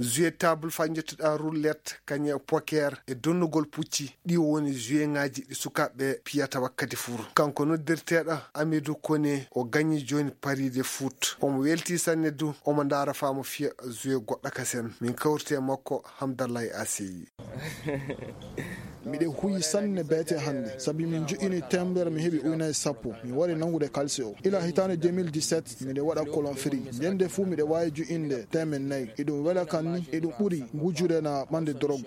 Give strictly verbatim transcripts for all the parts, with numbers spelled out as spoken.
Jouet table faa njettuɗaa roulette, kañe poker e donnugol pucci, ɗi woni jouet ŋaaji ɗi sukaaɓe piyata wakkati fuu. Kanko noddirteeɗo Amidou Koné, o gañi jooni pariide foot. Omo weltii sanne du, omo ndaara faa mo fiya jouet goɗɗo kasen. Min kawriti e makko, Hamdallahi Aseyi. Miɗo huyi sanne beete hannde, sabi min joƴƴini teemedere, mi heɓi ujunaaji sappo. Mi wari nanngude kalisi o. Ila hitaande deux mille dix-sept, miɗo waɗa kolon firi. Ñande fuu miɗo waawi joƴƴinde teemen nayi. Iɗum wela kan ni, iɗum ɓuri wujude na ɓande dorog.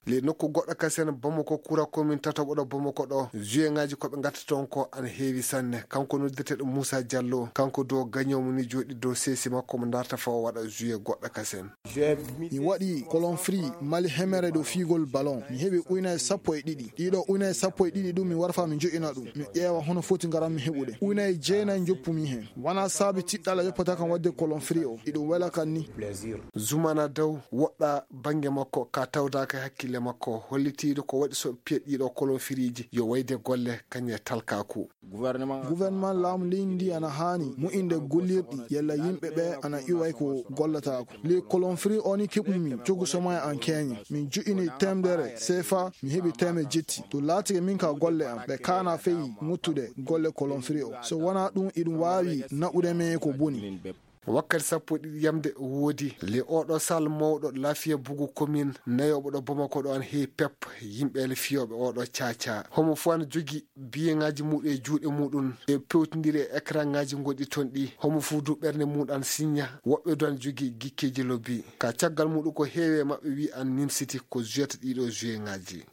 Ley nokku goɗɗo kasen, Bamako, kura komin tataɓo ɗo Bamako ɗo, jouet ŋaaji ko ɓe ngatta toon ko ana heewi sanne. Kanko noddeteeɗo Moussa Diallo, kanko du o gañoowo ni jooɗi dow seesi makko mo ndaarta faa o waɗa jouet goɗɗo kasen. Mi waɗi kolon firi Mali hemere dow fiyugol ballon. Mi heɓi ujunaaji sappo e ɗiɗi. Ɗiɗo ujunaaji sappo e ɗiɗi ɗum mi wara faa mi joƴƴina ɗum. Mi ƴeewa hono foti ngaran mi heɓude. Ujunaaji jeenayi njoppumi heen. Wanaa saabi tiɗɗalla yoppata kan waɗde kolon firi o. Iɗum wela kan ni. Zumana Daw woɗɗaa bannge makko ka tawdaaka e hakkille makko, hollitiiɗo ko waɗi so piya ɗiɗo kolon firiiji yo wayde golle kañe talkaaku. Gouvernement laamu leydi ndi ana haani moƴƴinde gollirɗi yalla yimɓe ɓe ana iway ko gollataako. Ley kolon firi o ni keɓumi cogu somo e an keeñe. Min joƴƴini teemedere seefa, mi heɓi teemedde jetti. To laatike min ka golle am, ɓe kaana fey ŋottude golle kolon firi o. So wanaa ɗum, iɗum waawi naɓude men ko boni. Wakkati sappo e ɗiɗi yamde woodi. Ley oɗo sal mawɗo Lafiya Bugu komin, nayooɓo ɗo Bamako ɗo ana heewi pep, yimɓe ele fiyooɓe oɗo caaca. Homo fuu ana jogi biyeŋaaji muuɗum e juuɗe muuɗum, e pewtindiri e ekranŋaaji gonɗi toon ɗi. Homo fuu du ɓernde muuɗum ana siñña. Woɓɓe du ana jogi gikkeeji lobbi. Ka caggal muuɗum ko heewi e maɓɓe wi ana nimsiti ko joueta ɗiɗo joueŋaaji.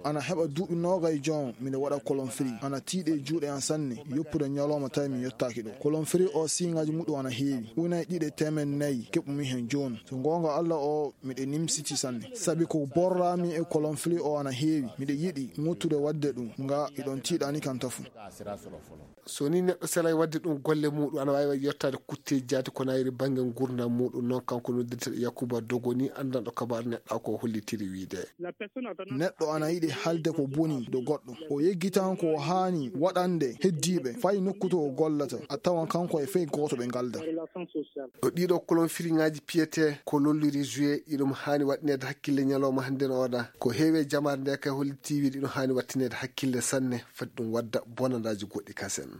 Ana heɓa duuɓi noogay joom miɗo waɗa kolon firi. Ana tiiɗi e juuɗe an sanne, yoppude ñalooma tawi mi yottaaki ɗo. Kolon firi o siiŋaaji muɗum ana heewi. Ujunaaji ɗiɗi e teemedde nayi keɓumi heen jooni. So goonga Alla o miɗo nimsiti sanne. Sabi ko borraami e kolon firi o ana heewi. Miɗo yiɗi ŋottude waɗde ɗum, nga iɗon tiiɗani kan tafu. So ni neɗɗo selay waɗde ɗum golle muuɗum, ana waawi yettaade kutteeji jaati ko nayri bannge nguurndam muuɗum. Noon kanko noddirteeɗo Yakuba Dogo ni, anndanɗo kabaaru neɗɗo ko hollitiri wiide. Neɗɗo ana yiɗi haalde ko boni do goɗɗo. O yeggitan ko o haani waɗande heddiiɓe fay nokku to o gollata. A tawan kanko e fey gooto ɓe ngalda. Ɗo ɗiɗo kolon firiŋaaji piyetee ko lolliri jouet, iɗum haani waɗineede hakkille ñalooma hannde no oɗa. Ko heewi e jamaare nde kay holliti wiide iɗum haani waɗtineede hakkille sanne, fati ɗum wadda bonandaaji goɗɗi kasen.